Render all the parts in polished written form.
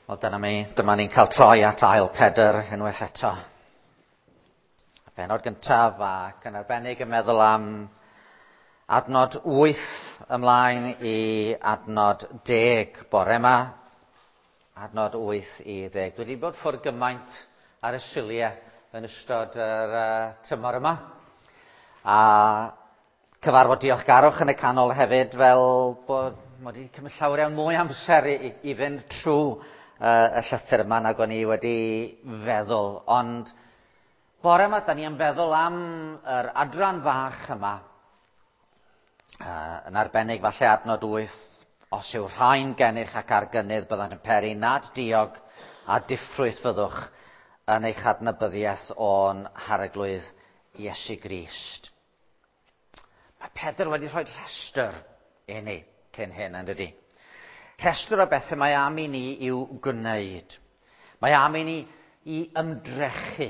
Wel, dyna mi, dyma ni'n cael troi at ail Pedr unwaith eto. Y bennod gyntaf ac yn arbennig yn meddwl am adnod 8 ymlaen i adnod 10 bore yma. Adnod 8 i 10. Dwi wedi bod ffwrdd gymaint ar y Suliau yn ystod yr tymor yma. A cyfarfod diolchgarwch yn y canol hefyd, fel bod mod i wedi cymryd llawer iawn mwy amser i fynd trwy y llythyr yma nag o'n i wedi feddwl. Ond bore yma, da ni am feddwl am yr adran fach yma, yn arbennig falle adnod 8, os yw rhain gennych ac ar gynnydd byddant yn peri nad diog a diffrwyth fyddwch yn eich adnabyddiaeth o'n Harglwydd Iesu Grist. Mae Pedr wedi rhoi rhestr i ni cyn hyn, yn dydi? Rhestr o bethau mae am i ni i'w gwneud. Mae am i ni i ymdrechu.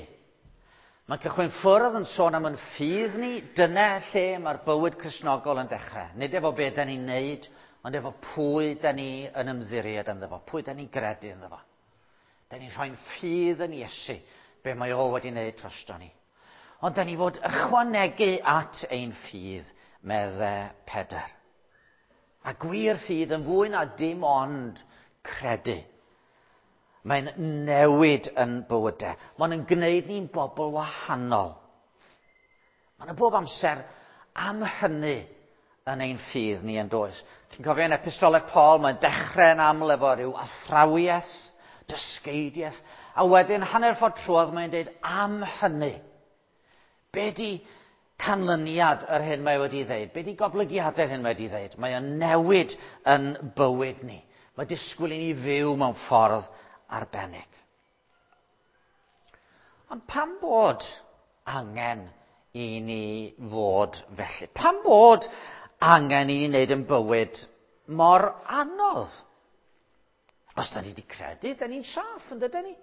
Mae'n cychwyn ffwrdd yn sôn am yn ffydd ni, dyna lle mae'r bywyd Cristnogol yn dechrau. Nid efo be da ni'n neud, ond efo pwy da ni yn ymddiried ynddo fo, pwy da ni'n gredu ynddo fo. Da ni'n rhoi'n ffydd yn Iesu, be mae o wedi wneud drosto ni. Ond da ni fod ychwanegu at ein ffydd, medde Pedr. A gwir ffydd yn fwy na dim ond credu. Mae'n newid yn bywydau. Mae'n yn gwneud ni'n bobl wahanol. Mae'n bob amser am hynny yn ein ffydd ni yn does. Chi'n cofio yn epistolau Paul, mae'n dechrau yn aml efo rhyw athrawiaeth, dysgeidiaeth, a wedyn hanner ffordd trwodd mae'n dweud am hynny. Be di canlyniad yr hyn mae wedi ddeud? Be di goblygiadau'r hyn mae wedi ddeud? Mae o'n newid yn bywyd ni. Mae disgwyl i ni fyw mewn ffordd arbennig. Ond pam bod angen i ni fod felly? Pam bod angen i ni wneud yn bywyd mor anodd? Os da ni wedi credu, da ni'n saff, yn dydyn ni?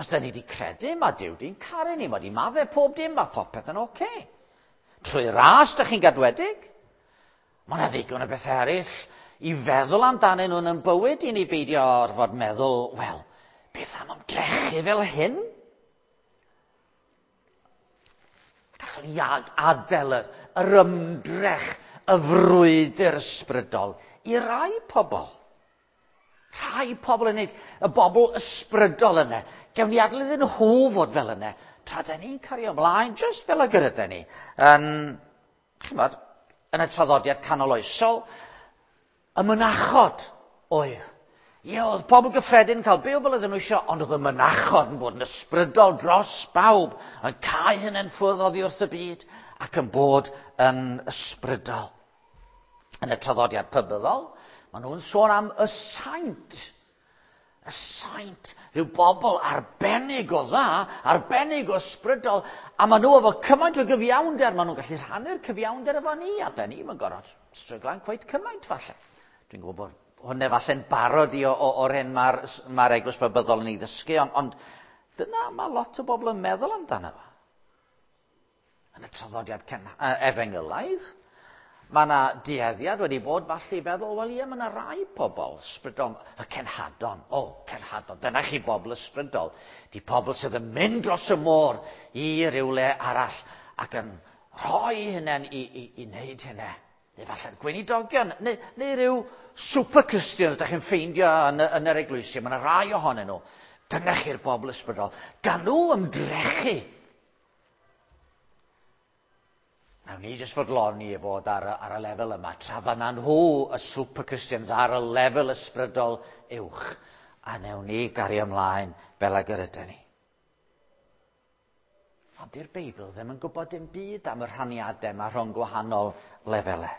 Os da ni wedi credu, mae Duw di'n caru ni, mae di maddau pob dim, mae popeth yn oce. Okay. Trwy ras, da chi'n gadwedig. Mae yna ddigon o bethau eraill i feddwl amdanyn nhw'n yn bywyd i ni beidio orfod meddwl, wel, beth am ymdrechu fel hyn? Gallwn ni adael yr ymdrech, y frwydr ysbrydol i rai pobl. Rhai pobl yn neud, y bobl ysbrydol yna. Gewn ni adael iddyn nhw fod fel yna, tra da ni'n cario ymlaen, just fel ag yr ydyn ni. Yn, chymod, yn y traddodiad canoloesol, y mynachod oedd. Ie, oedd pobl gyffredin yn cael byw fel oedden nhw eisiau, ond oedd y mynachod yn bod yn ysbrydol dros bawb, yn cau hynny'n ffwrdd oddi wrth y byd, ac yn bod yn ysbrydol. Yn y traddodiad pybyddol, maen nhw'n sôn am y saint. Y saint, rhyw bobl arbennig o dda, arbennig o ysbrydol, a maen nhw efo cymaint o gyfiawnder, maen nhw'n gallu rhannu'r cyfiawnder efo ni, a da ni yn gorfod stryglan cweit cymaint falle. Dwi'n gwybod bod hwnna falle'n barod i o'r hyn mae'r eglwys Babyddol yn ei ddysgu, ond dyna mae lot o bobl yn meddwl amdano fo. Yn y traddodiad efengylaidd, mae yna dueddiad wedi bod falle i feddwl, wel ie, mae yna rai pobl ysbrydol, y cenhadon, o, cenhadon, dyna chi bobl ysbrydol, di pobl sydd yn mynd dros y môr i rywle arall ac yn rhoi hynny i wneud hynny. Neu falle'r gweinidogion, neu rhyw super Christians da chi'n ffeindio yn yr eglwysi, mae yna rai ohonyn nhw. Dyna chi'r bobl ysbrydol. Gan nhw ymdrechu. Nawn ni jyst fodloni i fod ar y lefel yma, tra fanna nhw, y super Christians, ar y lefel ysbrydol uwch. A newn ni gario ymlaen fel ag yr ydyn ni. Ond di'r Beibl ddim yn gwybod dim byd am y rhaniadau yma rhwng gwahanol lefelau.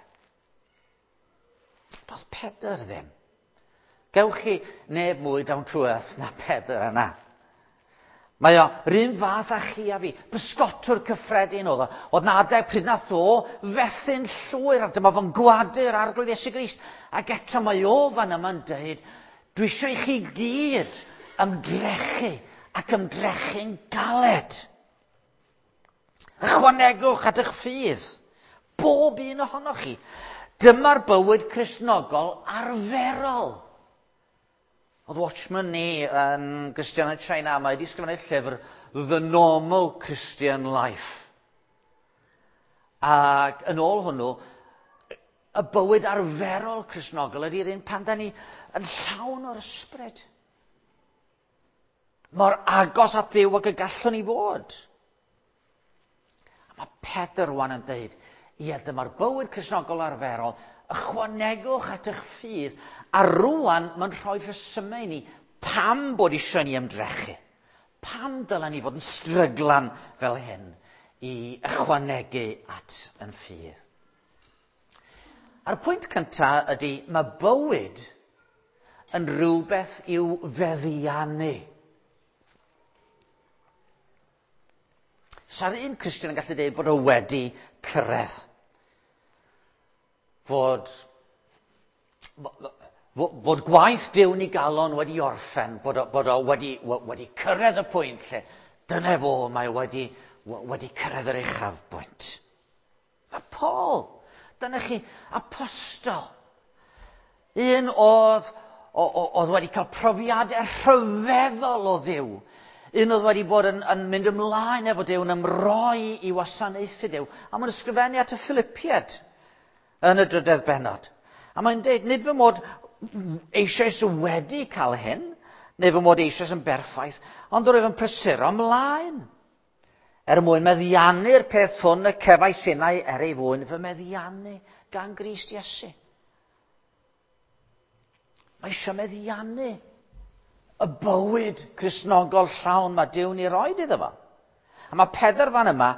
Doedd Pedr ddim. Gewch chi neb mwy down to earth na Pedr yna. Mae o yr un fath â chi a fi, bysgotwr cyffredin oedd o. Oedd na adeg pryd nath o fethu'n llwyr, a dyma fo'n gwadu'r Arglwydd Iesu Grist. Ac eto mae o fan yma'n dweud, dwi eisiau i chi gyd ymdrechu ac ymdrechu'n galed. Ychwanegwch at eich ffydd, bob un ohonoch chi. Dyma'r bywyd Cristnogol arferol. Oedd Watchman ni yn Gristion yn China, mae wedi sgrifennu llyfr The Normal Christian Life. Ac yn ôl hwnnw, y bywyd arferol Cristnogol ydy'r un pan da ni yn llawn o'r ysbryd. Mor agos at Dduw ag y gallwn ni fod. A mae Pedr rwan yn dweud, ie, dyma'r bywyd Cristnogol arferol, ychwanegwch at eich ffydd, a rwan mae'n rhoi rhesymau i ni pam bod eisiau ni ymdrechu. Pam dylen ni fod yn stryglan fel hyn i ychwanegu at yn ffydd. A'r pwynt cyntaf ydy, mae bywyd yn rhywbeth i'w feddiannu. Sa'r un Cristion yn gallu dweud bod o wedi cyrraedd. Fod, fod gwaith Duw yn ei galon wedi orffen, bod o, bod o wedi, wedi cyrraedd y pwynt lle dyna fo, mae wedi, wedi cyrraedd yr uchafbwynt. Mae Paul, dyna chi, apostol. Un oedd, oedd wedi cael profiadau rhyfeddol o Dduw. Un oedd wedi bod yn, yn mynd ymlaen efo Duw, yn ymroi i wasanaethu Duw. A mae'n ysgrifennu at y Philippiaid yn y drydedd bennod. A mae'n dweud, nid fy mod eisoes wedi cael hyn, neu fy mod eisoes yn berffaith, ond rwyf yn prysuro ymlaen. Er mwyn meddiannu'r peth hwn y cefais innau er ei fwyn fy meddiannu gan Grist Iesu. Mae eisiau meddiannu y bywyd Cristnogol llawn mae Duw'n ei roed iddo fo. A mae Pedr fan yma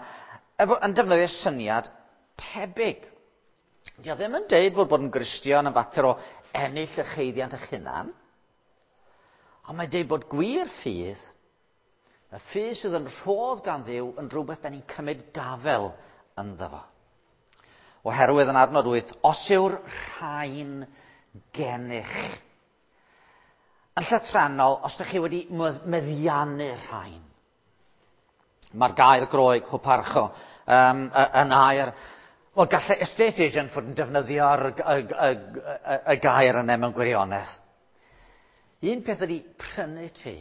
yn defnyddio syniad tebyg. Dio ddim yn deud bod bod yn Gristion yn fater o ennill eich haeddiant eich hunan, ond mae'n deud bod gwir ffydd, y ffydd sydd yn rhodd gan Dduw, yn rhywbeth da ni'n cymryd gafel ynddo fo. Oherwydd yn adnod 8, os yw'r rhain gennych. Yn llythrennol, os ydych chi wedi meddiannu rhain, mae'r gair Groeg, huparcho, um, yn air, wel, gallai estate agent fod yn defnyddio'r y, y, y, y gair yna mewn gwirionedd. Un peth ydy prynu tŷ.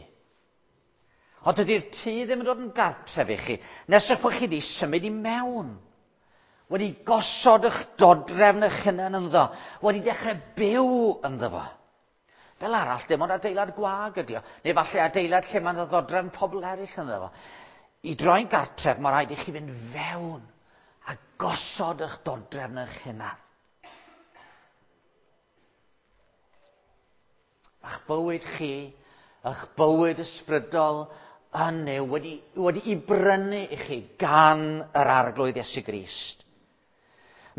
Ond dydy'r tŷ ddim yn dod yn gartref i chi, nes eich bod chi wedi symud i mewn. Wedi gosod eich dodrefn eich hunan ynddo, wedi dechrau byw ynddo fo. Fel arall, dim ond adeilad gwag ydi o, neu falle adeilad lle mae'n ddodrefn pobl eraill ynddo fo. I droi'n gartref, mae rhaid i chi fynd fewn a gosod eich dodrefn eich hunan. Mae'ch bywyd chi, eich bywyd ysbrydol yn Nuw wedi, wedi'i brynu i chi gan yr Arglwydd Iesu Grist.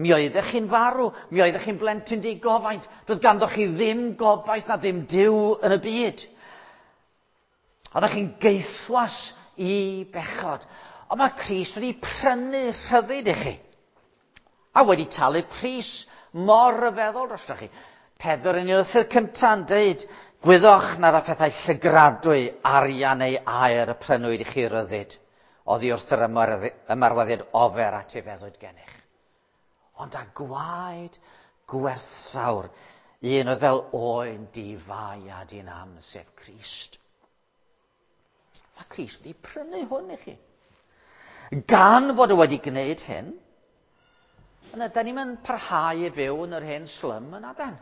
Mi oeddech chi'n farw, mi oeddech chi'n blentyn digofaint, doedd ganddo chi ddim gobaith na ddim Duw yn y byd. Oeddech chi'n geithwas i bechod. Ond mae Crist wedi prynu rhyddid i chi. A wedi talu pris mor ryfeddol drostoch chi. Pedr yn ei lythyr cyntaf yn deud, gwyddoch nad â phethau llygradwy, arian neu aur y prynwyd i chi ryddid, oddi wrth yr ymarweddiad ofer at ei feddwyd gennych. Ond â gwaed gwerthfawr, un oedd fel oen di-fai a di-nam, sef Crist. Mae Crist wedi prynu hwn i chi. Gan fod o wedi gwneud hyn, yna, da ni'n mynd parhau i fyw yn yr hen slum yna, dan.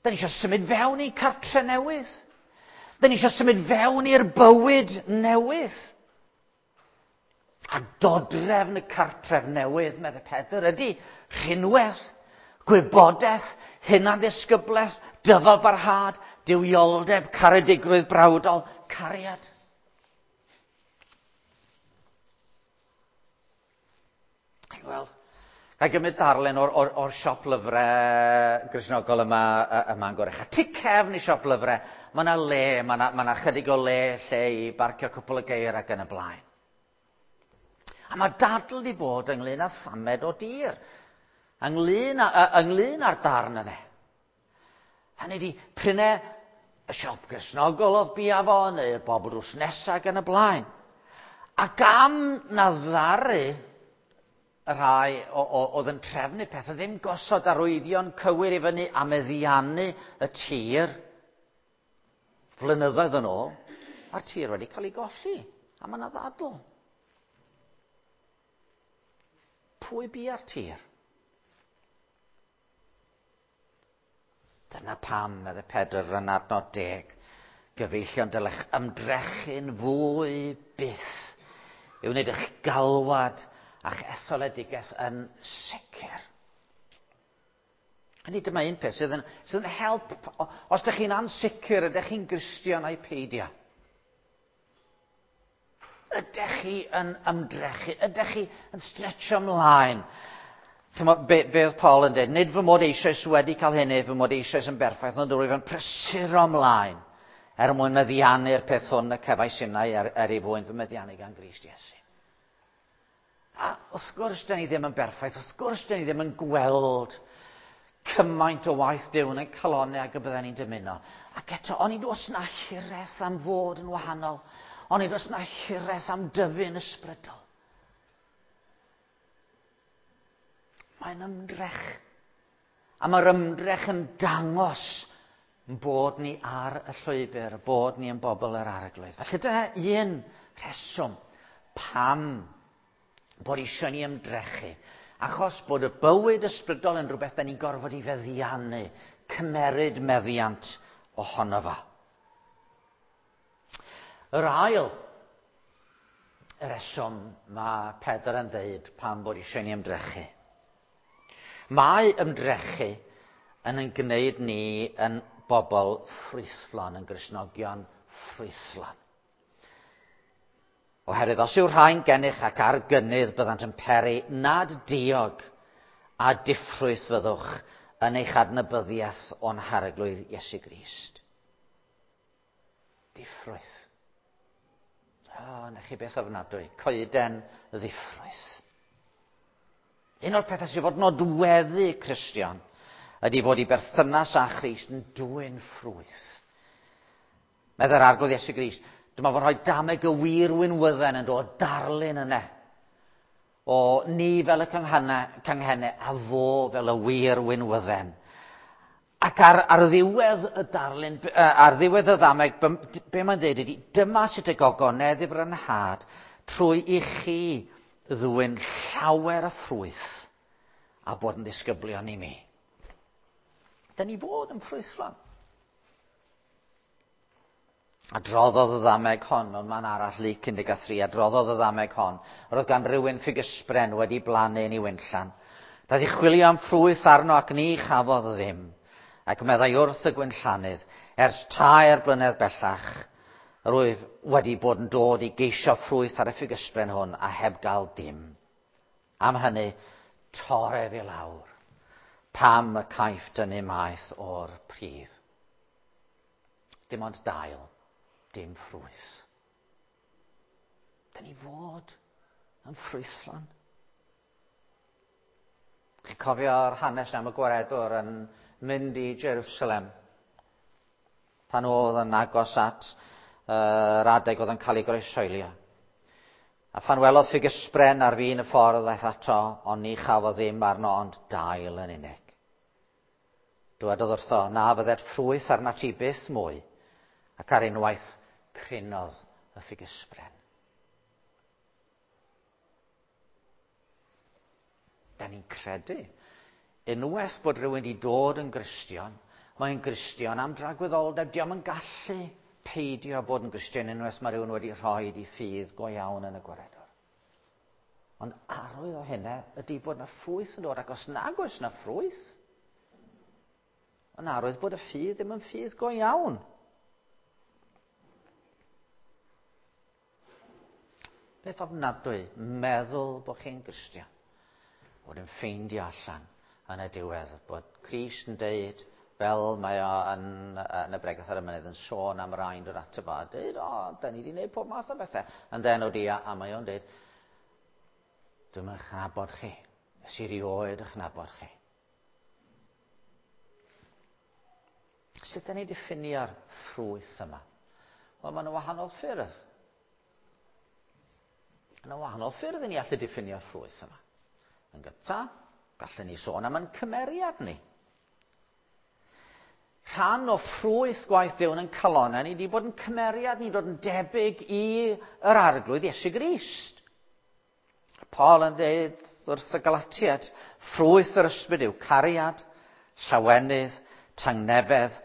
Da ni eisiau symud fewn i cartre newydd. Da ni eisiau symud fewn i'r bywyd newydd. A dodrefn y cartref newydd, meddai Pedr, ydy rhinwedd, gwybodaeth, hunanddisgyblaeth, dyfalbarhad, duwioldeb, caredigrwydd brawdol, cariad. Chi'n gweld? Ga i gymryd darlun o'r, or, or siop lyfrau Gristnogol yma, yma yn Gorucha. Tu cefn i siop lyfrau, mae yna le, mae yna, mae yna chydig o le lle i barcio cwpl o geir ac yn y blaen. A mae dadl di bod ynglyn â thamed o dir, ynglyn, â, ynglyn â'r darn yna. Hynny di, prynau y siop Gristnogol oedd bia fo, neu'r bobl drws nesaf ac yn y blaen. Ac am na ddaru y rhai oedd yn trefnu pethau ddim gosod arwyddion cywir i fyny a meddiannu y tir. Flynyddoedd yn ôl, a'r tir wedi cael ei golli, a mae yna ddadl. Pwy bia'r tir? Dyna pam, medde Pedr yn adnod 10, gyfeillion dylech ymdrechu'n fwy byth i wneud eich galwad a'ch etholedigaeth yn sicr. Hynny dyma un peth sydd yn help os ydych chi'n ansicr, ydych chi'n Gristion ai peidio. Ydych chi yn ymdrechu? Ydych chi yn stretcho ymlaen? Chimod, be oedd Paul yn dweud? Nid fy mod eisoes wedi cael hynny, fy mod eisoes yn berffaith, ond rwyf yn prysuro ymlaen er mwyn meddiannu'r peth hwn y cefais innau er ei fwyn fy meddiannu gan Grist Iesu. A wrth gwrs, da ni ddim yn berffaith, wrth gwrs, da ni ddim yn gweld cymaint o waith Duw yn ein calonnau ag y bydden ni'n dymuno. Ac eto, onid oes na hiraeth am fod yn wahanol, onid oes na hiraeth am dyfu'n ysbrydol. Mae'n ymdrech. A mae'r ymdrech yn dangos bod ni ar y llwybr, bod ni yn bobl yr Arglwydd. Felly dyna un rheswm pam bod eisiau ni ymdrechu. Achos bod y bywyd ysbrydol yn rhywbeth da ni'n gorfod i feddiannu, cymeryd meddiant ohono fo. Yr ail reswm mae Pedr yn dweud pam bod eisiau ni ymdrechu. Mae ymdrechu yn gwneud ni yn bobl ffrwythlon, yn Gristnogion ffrwythlon. Oherwydd os yw rhain gennych ac ar gynnydd byddant yn peri nad diog a diffrwyth fyddwch yn eich adnabyddiaeth o'n Harglwydd Iesu Grist. Diffrwyth. O, na chi beth ofnadwy. Coeden ddiffrwyth. Un o'r pethau sydd fod nodweddu Cristion ydy fod i berthynas â Christ yn dwyn ffrwyth. Meddai'r Arglwydd Iesu Grist, dyma fo'n rhoi dameg y wir winwydden yn dod darlun yna. O ni fel y canghennau a fo fel y wir winwydden. Ac ar ddiwedd y darlun, ar ddiwedd y ddameg, be mae'n dweud ydy, dyma sut y gogonedd i frynhad trwy i chi ddwyn llawer o ffrwyth a bod yn ddisgyblion i mi. Da ni fod yn ffrwythlon. Adroddodd y ddameg hon, mewn man arall, Luc 13, adroddodd y ddameg hon. Yr oedd gan rywun ffigysbren wedi blannu yn ei winllan. Daeth i chwilio am ffrwyth arno ac ni chafodd ddim. Ac meddai wrth y gwinllannydd, ers 3 blynedd bellach, yr wyf wedi bod yn dod i geisio ffrwyth ar y ffigysbren hwn a heb gael dim. Am hynny, toref i lawr, pam y caiff dynnu maeth o'r pridd. Dim ond dail, dim ffrwyth. Da ni fod yn ffrwythlon. Chi'n cofio'r hanes am y gwaredwr yn mynd i Jerusalem pan oedd yn agos at yr adeg oedd yn cael ei groeshoelio. A phan welodd ffigysbren ar fin y ffordd aeth ato, ond ni chafodd ddim arno ond dail yn unig. Dywedodd wrtho, na fyddet ffrwyth arnat ti byth mwy, ac ar unwaith crinodd y ffigysbren. Da ni'n credu, unwaith bod rhywun wedi dod yn Gristion, mae'n Gristion am dragwyddoldeb, diom yn gallu peidio bod yn Gristion unwaith mae rhywun wedi rhoi i ffydd go iawn yn y gwaredwr. Ond arwydd o hynna ydy bod na ffrwyth yn dod, ac os nag oes na ffrwyth, yn arwydd bod y ffydd ddim yn ffydd go iawn. Beth ofnadwy, meddwl bod chi'n Gristion, bod yn ffeindio allan yn y diwedd, bod Crist yn deud, fel mae o yn y bregeth ar y mynydd yn sôn am rain dod ato fo, a deud, o, da ni wedi gwneud pob math o bethau. Yn den o di, a mae o'n deud, dwi'm yn chnabod chi, nes i rioed eich nabod chi. Sut da ni'n diffinio'r ffrwyth yma? Wel, mae yna wahanol ffyrdd. Yna wahanol ffyrdd i ni allu diffinio'r ffrwyth yma. Yn gyntaf, gallwn ni sôn am ein cymeriad ni. Rhan o ffrwyth gwaith Duw yn calonau ni wedi bod yn cymeriad ni dod yn debyg i yr arglwydd Iesu Grist. Paul yn dweud wrth y Galatiad, ffrwyth yr ysbryd yw cariad, llawenydd, tangnefedd,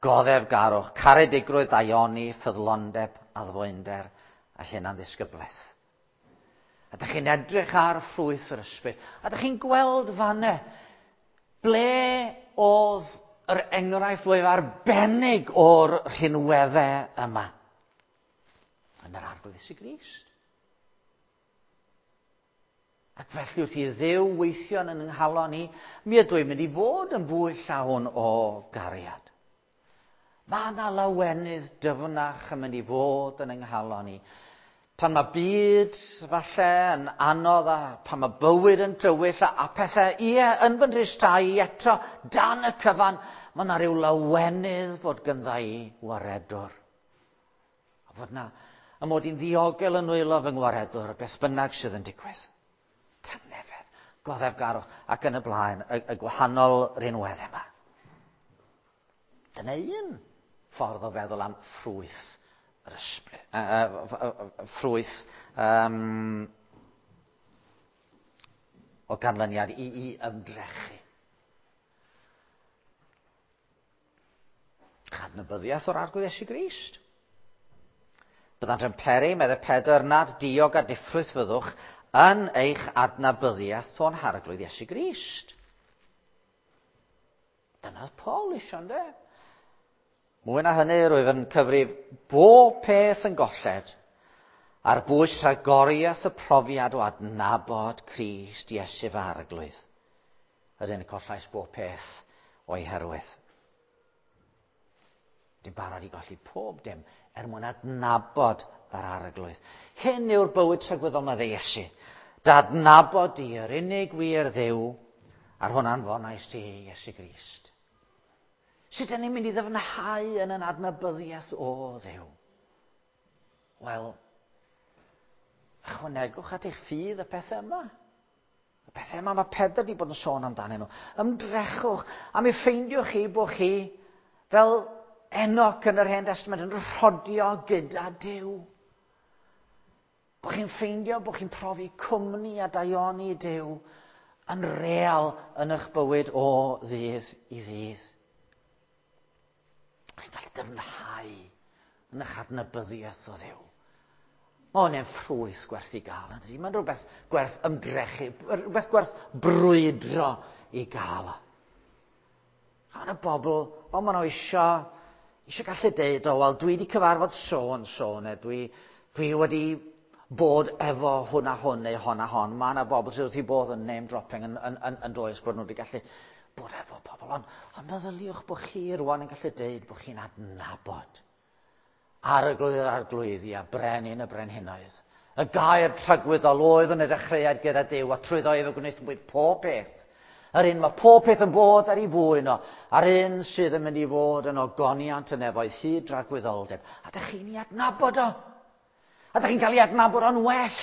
goddefgarwch, caredigrwydd, daioni, ffyddlondeb, addfwynder a hunan ddisgyblaeth. A dych chi'n edrych ar ffrwyth yr ysbryd, a dych chi'n gweld fanne ble oedd yr enghraifft fwyaf arbennig o'r rhinweddau yma. Yn yr Arglwydd Iesu Grist. Ac felly wrth i Dduw weithio yn yng nghalon ni, mi ydw i'n mynd i fod yn fwy llawn o gariad. Mae yna lawenydd dyfnach yn mynd i fod yn yng nghalon ni. Pan mae byd falle yn anodd a pan mae bywyd yn tywyll a, a pethau, ie, yn fy nhristau i eto, dan y cyfan, mae yna rhyw lawenydd fod gyndda i waredwr. A fod na, a mod i'n ddiogel yn nwylo fy ngwaredwr, beth bynnag sydd yn digwydd. Tangnefedd, goddefgarwch, ac yn y blaen, y, y gwahanol rinweddau yma. Dyna un ffordd o feddwl am ffrwyth yr ysbryd, ffrwyth um, o ganlyniad i, i ymdrechu. Chadnabyddiaeth o'r Arglwydd Iesu Grist. Byddant yn peri, meddai Pedr, nad diog a diffrwyth fyddwch yn eich adnabyddiaeth o'n Harglwydd Iesu Grist. Dyna oedd Paul eisiau, ynddo? Mwy na hynny, rwyf yn cyfrif bob peth yn golled ar bwys rhagoriaeth y profiad o adnabod Crist Iesu fy arglwydd. Yr un y collais bob peth o'i herwydd. Dwi'n barod i golli pob dim er mwyn adnabod yr arglwydd. Hyn yw'r bywyd tragwyddol mae Iesu. Dadnabod di yr unig wir Dduw, a'r hwn anfonais ti, Iesu Grist. Sut ydyn ni'n mynd i ddyfnhau yn yn adnabyddiaeth o Dduw? Wel, ychwanegwch at eich ffydd y pethau yma. Y pethau yma mae Pedr wedi bod yn sôn amdanyn nhw. Ymdrechwch a mi ffeindiwch chi bod chi fel Enoch yn yr Hen Testament yn rhodio gyda Duw. Bod chi'n ffeindio bod chi'n profi cwmni a daioni Duw yn real yn eich bywyd o ddydd i ddydd. Chi'n gallu dyfnhau yn eich adnabyddiaeth o Dduw. Mae hwn yn ffrwyth gwerth i gael, yn dydy? Mae'n rhywbeth gwerth ymdrechu, rhywbeth gwerth brwydro i gael. A yna bobl, o, maen nhw eisiau, eisiau gallu deud, o, wel, dwi wedi cyfarfod so and so, neu dwi, dwi wedi bod efo hwn a hwn neu hon a hon. Mae yna bobl sydd wrth i bodd yn name dropping yn, yn, yn, yn does bod nhw wedi gallu bod efo pobl. Ond, ond meddyliwch bod chi rwan yn gallu deud bod chi'n adnabod Arglwydd yr arglwyddi a brenin y brenhinoedd. Y gair tragwyddol oedd yn y dechreuad gyda Duw, a trwyddo ef y gwnaethpwyd pob peth. Yr un mae pob peth yn bod ar ei fwyn o, a'r un sydd yn mynd i fod yn ogoniant y nefoedd hyd dragwyddoldeb. A dych chi'n ei adnabod o. A dych chi'n cael ei adnabod o'n well.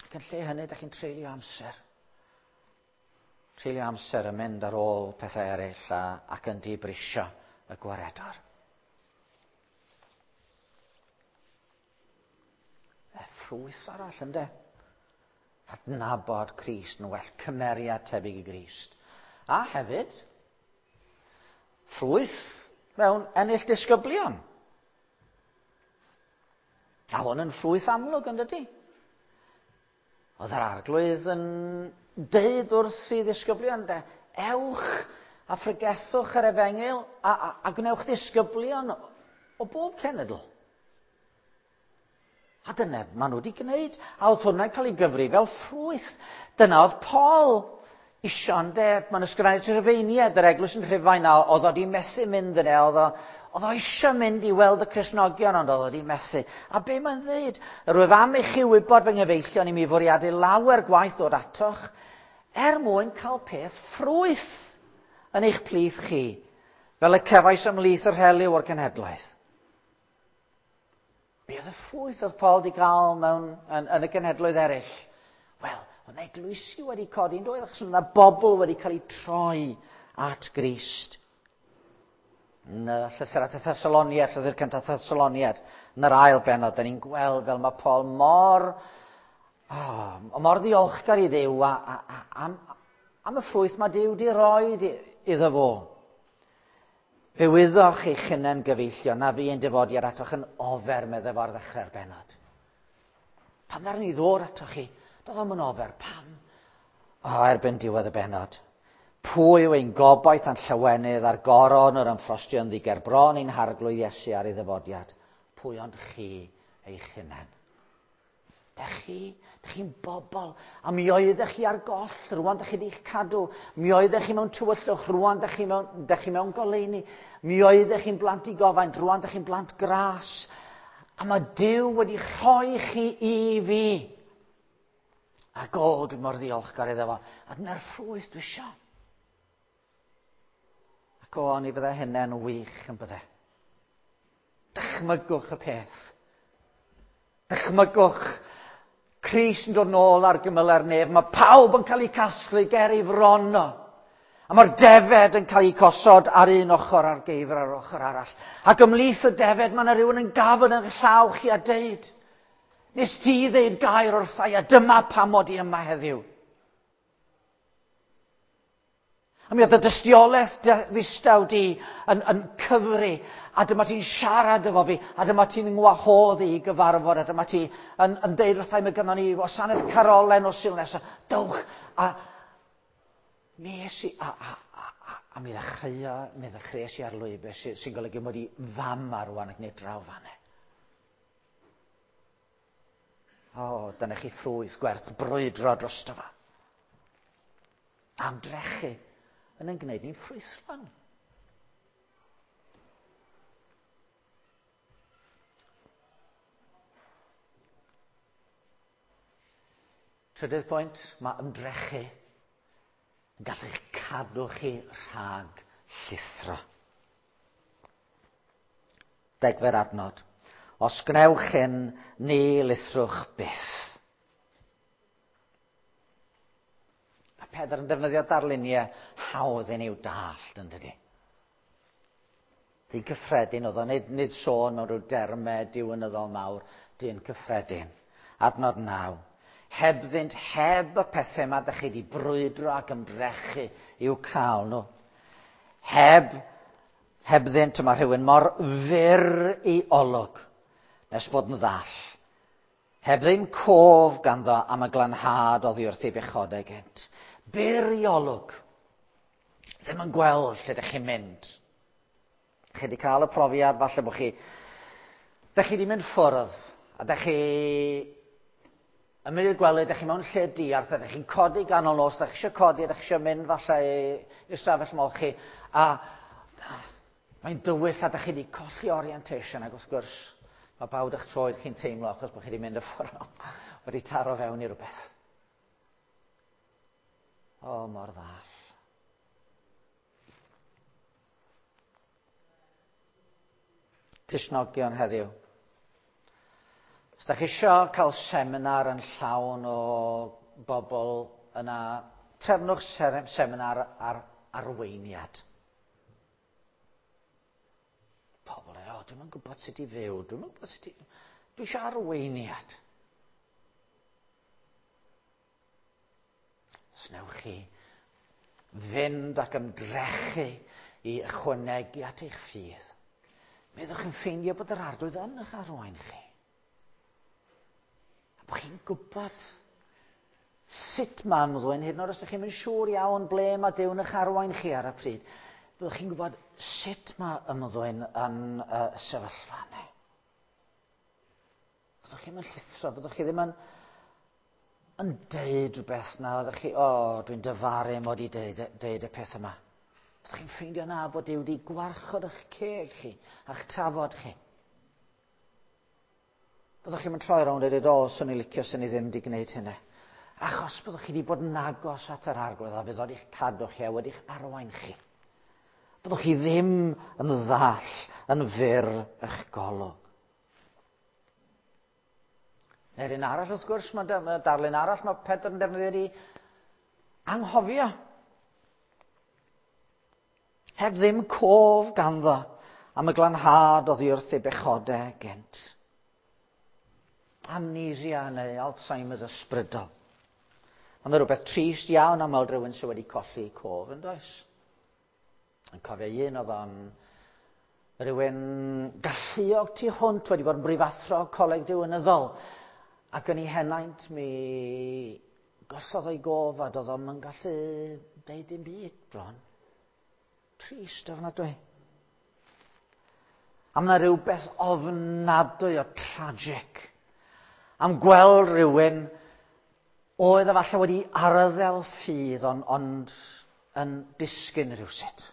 Ac yn lle hynny, dych chi'n treulio amser. Treulio amser yn mynd ar ôl pethau eraill a, ac yn dibrisio y gwaredwr. E ffrwyth arall, ynddo? Adnabod Crist yn well, cymeriad tebyg i Grist. A hefyd, ffrwyth mewn ennill disgyblion. A hwn yn ffrwyth amlwg, yn dydy? Oedd yr arglwydd yn deud wrth i ddisgyblion, de, ewch a phregethwch yr efengyl a, a, a gwnewch ddisgyblion o bob cenedl. A dyna maen nhw wedi gwneud. A oedd hwnna'n cael ei gyfri fel ffrwyth. Dyna oedd Paul isio, ynde? Mae'n ysgrifennu at Rufeiniaid, yr eglwys yn Rhufain, a oedd o wedi methu mynd yna. Oedd o, oedd o eisiau mynd i weld y Cristnogion, ond oedd o wedi methu. A be mae'n dweud? Yr wyf am i chi wybod fy nghyfeillion i mi fwriadu lawer gwaith ddod atoch, er mwyn cael peth ffrwyth yn eich plith chi, fel y cefais ymhlith y rhelyw o'r cenhedlaeth. Be oedd y ffrwyth oedd Paul wedi cael mewn, yn, yn y genhedloedd eraill? Wel, oedd eglwysi wedi codi yn doedd, achos oedd yna bobl wedi cael eu troi at Grist. Yn y llythyr at y Thessaloniad, llythyr cyntaf Thessaloniad, yn yr ail bennod, da ni'n gweld fel mae Paul mor, oh, mor ddiolchgar i Dduw a, a, a, am, am y ffrwyth mae Duw di roi iddo fo. Fe wyddoch eich hunain gyfeillion na fi ein dyfodiad atoch yn ofer, meddai fo ar ddechrau'r bennod. Pan ddaru ni ddod atoch chi, doedd o'm yn ofer. Pam? O, erbyn diwedd y bennod. Pwy yw ein gobaith a'n llawenydd a'r goron yr ymffrostio yn ddiger bron ein harglwydd Iesu ar ei ddyfodiad? Pwy ond chi eich hunain? Dych chi, dych chi'n bobl, a mi oeddech chi ar goll, rwan dych chi wedi'ch cadw. Mi oeddech chi mewn tywyllwch, rwan dych chi mewn, dych chi mewn goleuni. Mi oeddech chi'n blant i gofaint, rwan dych chi'n blant gras. A mae Duw wedi rhoi chi i fi. Ac o, dwi mor ddiolchgar iddo fo. A dyna'r ffrwyth dwi isio. Ac o, ni fydde hynny'n wych yn bydde. Dychmygwch y peth. Dychmygwch Crist yn dod nôl ar gymyle'r nef. Mae pawb yn cael eu casglu ger ei fron o. A mae'r defed yn cael eu gosod ar un ochr a'r geifr ar ochr arall. Ac ymhlith y defed mae yna rhywun yn gafel yn llaw chi a deud, Nes ti ddeud gair wrtha i a dyma pam mod i yma heddiw. A mi oedd y dystiolaeth ddistaw di yn, yn cyfri, a dyma ti'n siarad efo fi, a dyma ti'n ngwahodd i gyfarfod, a dyma ti yn, yn deud wrtha i, mae gynnon ni wasanaeth carolen o Sul nesaf. Dowch, a mi es i, a, a, a, a, a mi ddechreuo, mi ddechreuais i ar lwybr sy'n sy golygu mod i fam ar rwan ac nid draw fanne. O, dyna chi ffrwyth gwerth brwydro drosto fo. Amdrechu yn ein gwneud ni'n ffrwythlon. Trydydd pwynt, mae ymdrechu yn gallu eich cadw chi rhag llithro. Degfed adnod. Os gwnewch hyn, ni lithrwch byth. Mae Pedr yn defnyddio darluniau hawdd i ni'w dallt, yn dydy? Dyn cyffredin oedd o, nid, nid sôn mewn rhyw dermau diwynyddol mawr, dyn cyffredin. Adnod 9. Hebddynt, heb y pethau yma, ydych chi wedi brwydro ac ymdrechu i'w cael nhw. Heb Hebddynt y mae rhywun mor fyr i olwg nes bod yn ddall. Heb ddim cof ganddo am y glanhad oddi wrth ei bechodau gynt. Byr i olwg. Ddim yn gweld lle ydych chi'n mynd. Chi wedi cael y profiad, falle bod chi... Dych chi wedi mynd ffwrdd, a dych chi yn mynd i'r gwely, dych chi mewn lle diarth, a dych chi'n codi ganol nos, dych chi eisiau codi, dych chi eisiau mynd falle i'r stafell molchi, a mae'n dywyll a dych chi wedi colli orientation, ac wrth gwrs, mae bawd eich troed chi'n teimlo achos bod chi wedi mynd y ffordd wedi taro fewn i rhywbeth. O, mor ddall. Cristnogion heddiw. Os da chi eisiau cael seminar yn llawn o bobl yna, trefnwch seminar ar arweiniad. Pobl yn, o, dwi'n yn gwybod sut i fyw, dwi'n yn gwybod sut i... Dwi eisiau arweiniad. Os newch chi fynd ac ymdrechu i ychwanegu at eich ffydd, mi fyddwch chi'n ffeindio bod yr arglwydd yn eich arwain chi. A bod chi'n gwybod sut mae ymddwyn, hyd yn oed os ydych chi'n mynd siŵr iawn ble mae Duw yn eich arwain chi ar y pryd, byddwch chi'n gwybod sut mae ymddwyn yn y sefyllfa yna. Byddwch chi'n mynd llithro, byddwch chi ddim yn, yn deud rhywbeth na, byddwch chi, o, oh, dwi'n dyfaru mod i deud, deud y peth yma. Byddwch chi'n ffeindio na bod Duw wedi gwarchod eich ceg chi a'ch tafod chi. Byddwch chi'n mynd troi rownd a dweud, o, swn i licio, swn i ddim wedi gwneud hynny. Achos byddwch chi wedi bod yn agos at yr arglwydd a fydd wedi'ch cadw chi a wedi'ch arwain chi. Byddwch chi ddim yn ddall, yn fyr eich golwg. Neu'r un arall, wrth gwrs, mae, mae darlun arall mae Pedr yn defnyddio di anghofio. Heb ddim cof ganddo am y glanhad oddi wrth ei bechodau gynt. Amnesia neu Alzheimer's ysbrydol. Ond yna rhywbeth trist iawn am weld rhywun sydd wedi colli cof, yn does? Yn cofio un oedd o'n rhywun galluog tu hwnt wedi bod yn brifathro coleg diwynyddol ac yn ei henaint mi gollodd o'i gof a doedd o'm yn gallu deud dim byd bron. Trist ofnadwy. A mae yna rhywbeth ofnadwy o tragic am gweld rhywun oedd efallai wedi arddel ffydd ond, ond yn disgyn rhywsut.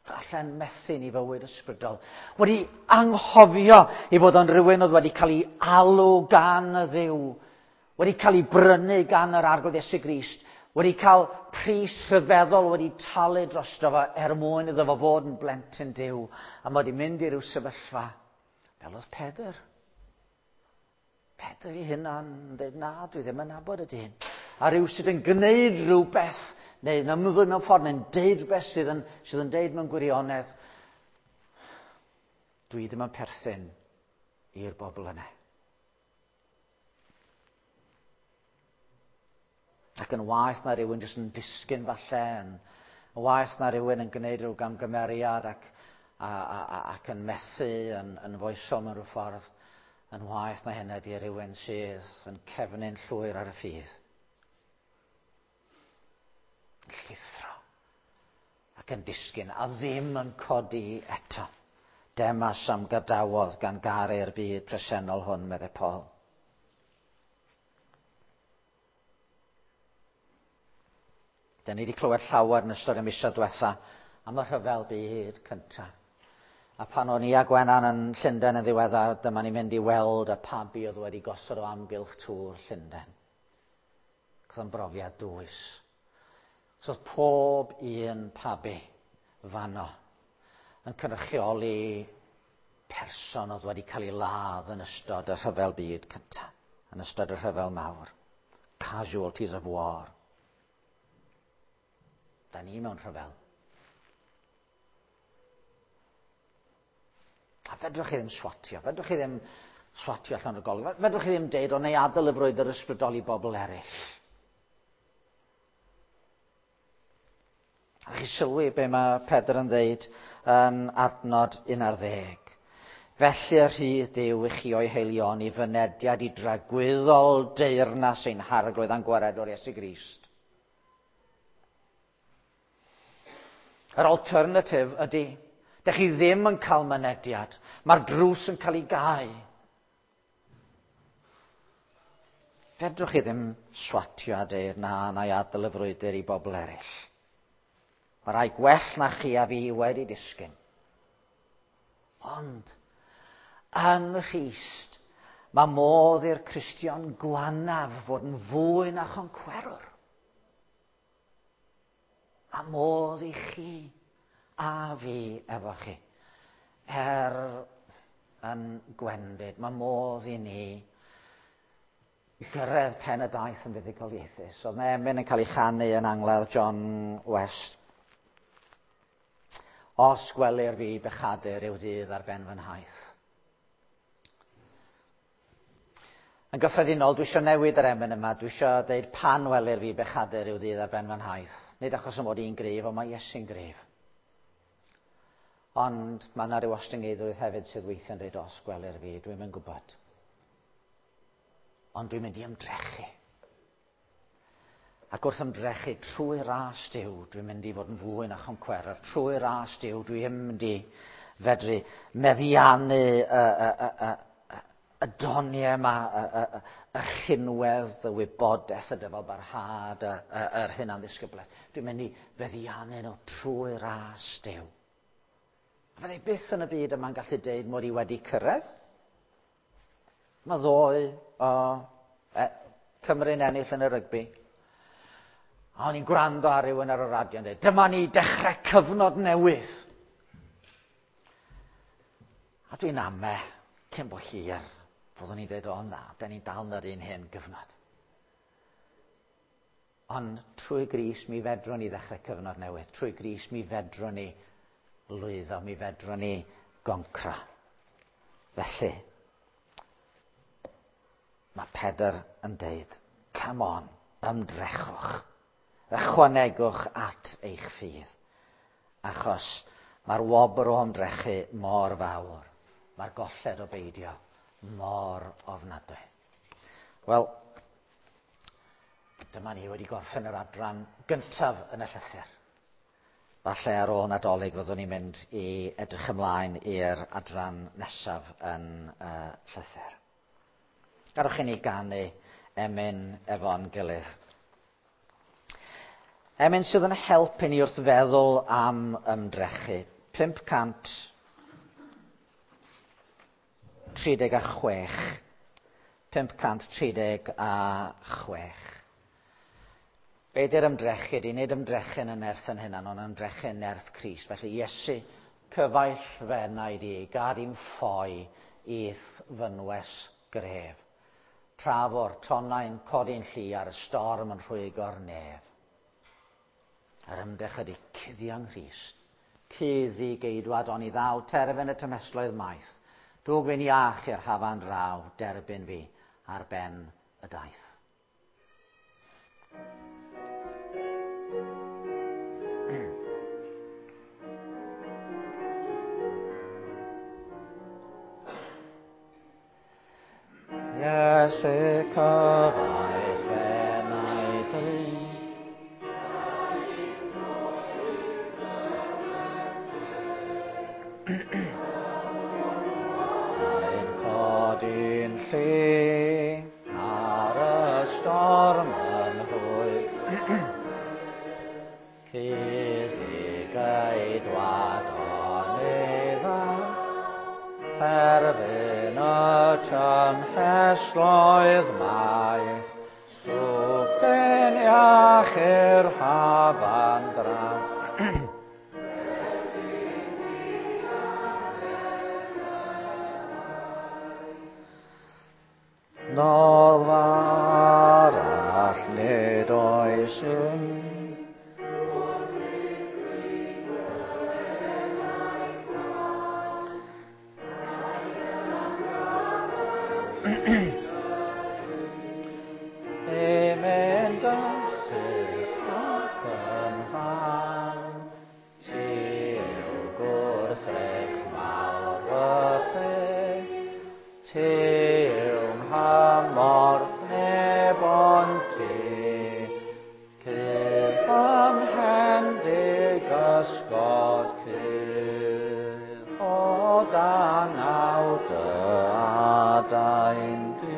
Falle'n methu ni fywyd ysbrydol. Wedi anghofio i fod o'n rhywun oedd wedi cael ei alw gan y Dduw, wedi cael ei brynu gan yr Arglwydd Iesu Grist, wedi cael pris rhyfeddol wedi talu drosto fo er mwyn iddo fo fod yn blentyn Duw, a mae wedi mynd i ryw sefyllfa fel oedd Pedr. Pedr ei hunan yn dweud, na, dwi ddim yn nabod y dyn. A rhyw sydd yn gwneud rhywbeth, neu yn ymddwyn mewn ffordd, neu'n deud rhywbeth sydd yn, sydd yn deud mewn gwirionedd, dwi ddim yn perthyn i'r bobl yna. Ac yn waeth na rhywun jyst yn disgyn falle, yn, yn waeth na rhywun yn gwneud rhyw gamgymeriad ac, a, a, a, ac yn methu, yn, yn foesol mewn rhyw ffordd, yn waeth na hynny ydy rhywun sydd yn cefnu'n llwyr ar y ffydd. Yn llithro ac yn disgyn a ddim yn codi eto. Demas am gadawodd gan garu'r byd presennol hwn, meddai Paul. Da ni wedi clywed llawer yn ystod y misoedd diwetha am y rhyfel byd cyntaf. A pan o'n i a Gwenan yn Llundain yn ddiweddar, dyma ni'n mynd i weld y pabi oedd wedi gosod o amgylch tŵr Llundain. Oedd o'n brofiad dwys. So oedd pob un pabi fanno yn cynrychioli person oedd wedi cael ei ladd yn ystod y rhyfel byd cyntaf, yn ystod y rhyfel mawr. Casualties of war. Da ni mewn rhyfel. A fedrwch chi ddim swatio, fedrwch chi ddim swatio allan o'r golwg, fedrwch chi ddim deud, o neu adael y frwydr ysbrydol i bobl eraill. A chi sylwi be mae Pedr yn ddeud yn adnod 11. Felly y rhydd Duw i chi o'i haelioni fynediad i dragwyddol deyrnas ein harglwydd a'n gwaredwr Iesu Grist. Yr alternative ydy, dych chi ddim yn cael mynediad. Mae'r drws yn cael ei gau. Fedrwch chi ddim swatio a deud na, na i adael y frwydr i bobl eraill. Mae rai gwell na chi a fi wedi disgyn. Ond, yng Nghrist, mae modd i'r Cristion gwanaf fod yn fwy na choncwerwr. Mae modd i chi a fi efo chi. Er yn gwendid, mae modd i ni gyrraedd pen y daith yn fuddugoliaethus. Oedd yna emyn yn cael ei chanu yn angladd John West. Os gwelir fi bechadur yw ddydd ar ben fy nhaith. Yn gyffredinol, dwi eisiau newid yr emyn yma. Dwi eisiau dweud pan welir fi bechadur yw ddydd ar ben fy nhaith. Nid achos y mod i'n gryf, ond mae Iesu'n gryf. Ond mae yna rhyw ostyngeidrwydd hefyd sydd weithiau'n dweud os gwelir fi, dwi'n mynd gwybod. Ond dwi'n mynd i ymdrechu. Ac wrth ymdrechu trwy ras Duw, dwi'n mynd i fod yn fwy na choncweror. Trwy ras Duw, dwi'n mynd i fedru meddiannu y, y, y, y, y doniau yma, y, y, y, y rhinwedd, y wybodaeth, y dyfal barhad, y, y, yr hunan ddisgyblaeth. Dwi'n mynd i feddiannu nhw trwy ras Duw. A fyddai byth yn y byd yma'n gallu deud mod i wedi cyrraedd. Mae ddoe o e, Cymru'n ennill yn y rygbi. A o'n i'n gwrando ar rhywun ar y radio yn dweud, dyma ni dechrau cyfnod newydd. A dwi'n ame, cyn bo hir, fyddwn ni'n dweud, o na, da ni'n dal yn yr un hen gyfnod. Ond trwy Grist mi fedrwn ni ddechrau cyfnod newydd. Trwy Grist mi fedrwn ni lwyddo, mi fedrwn ni goncra. Felly, mae Pedr yn deud, come on, ymdrechwch. Ychwanegwch at eich ffydd. Achos mae'r wobr o ymdrechu mor fawr. Mae'r golled o beidio mor ofnadwy. Wel, dyma ni wedi gorffen yr adran gyntaf yn y llythyr. Falle ar ôl Nadolig fyddwn ni'n mynd i edrych ymlaen i'r adran nesaf yn llythyr. Gadewch i ni ganu emyn efo'n gilydd. Emyn sydd yn help i ni wrth feddwl am ymdrechu. 536. 536. Be di'r ymdrechu ydy? Nid ymdrechu yn y nerth yn hunan, ond ymdrechu yn nerth Crist. Felly Iesu, cyfaill fy enaid i, gad i'm ffoi i'th fynwes gref. Tra fo'r tonnau'n codi'n llu ar y storm yn rhwygo'r nef. Yr ymdrech ydy cuddio yng Nghrist. Cudd fi geidwad oni ddaw terfyn y tymhestloedd maith. Dwg fi'n iach i'r hafan draw, derbyn fi ar ben y daith. Iesu cyfaill fy enaid i. Mae'n codi'n llu ar y storm yn hwy. Cudd i geidwad oni ddaw, terfyn y tymhestloedd maith, dwg ben iach i'r hafan draw. Noddfa arall nid oes un. I mynd yn syth ac yn rhan, ti yw gwrthrych mawr fy ffydd, ti yw nghymorth neb ond ti, cudd fy mhen dig ysgod cudd, o dan naw dy adain di.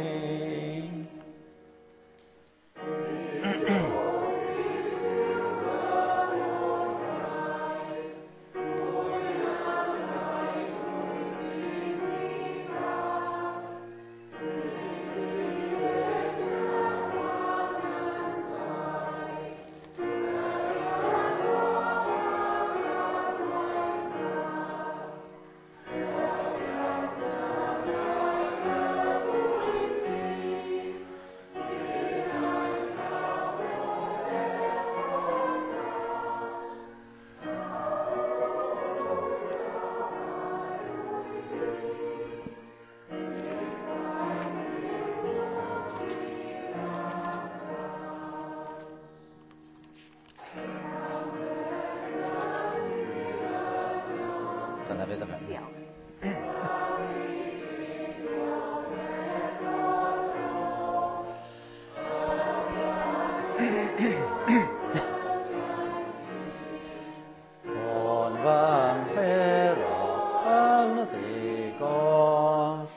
Dyna fydd y fe. Diolch. O'n fy mhuro yn ddigoll,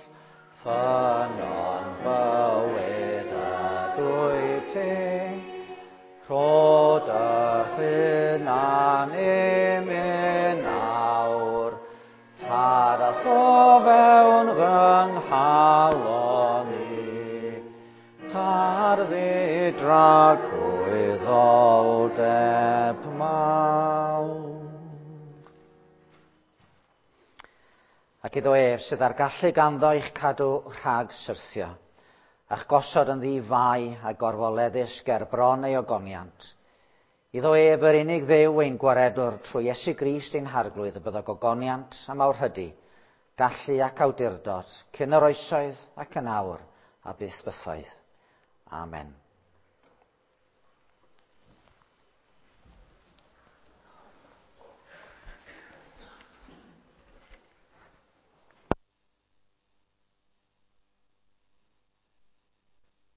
ffynnon bywyd ydwyt ti, rho dy hunan i mi nawr, tarth o fewn fy nghalon i, tarddu dragwyddoldeb mawr. Ac iddo ef sydd â'r gallu ganddo i'ch cadw rhag syrthio, a'ch gosod yn ddi fai a gorfoleddus ger bron ei ogoniant. Iddo ef yr unig Dduw ein gwaredwr trwy Iesu Grist ein harglwydd y byddo gogoniant a mawrhydi, gallu ac awdurdod, cyn yr oesoedd ac yn awr a byth bythoedd. Amen.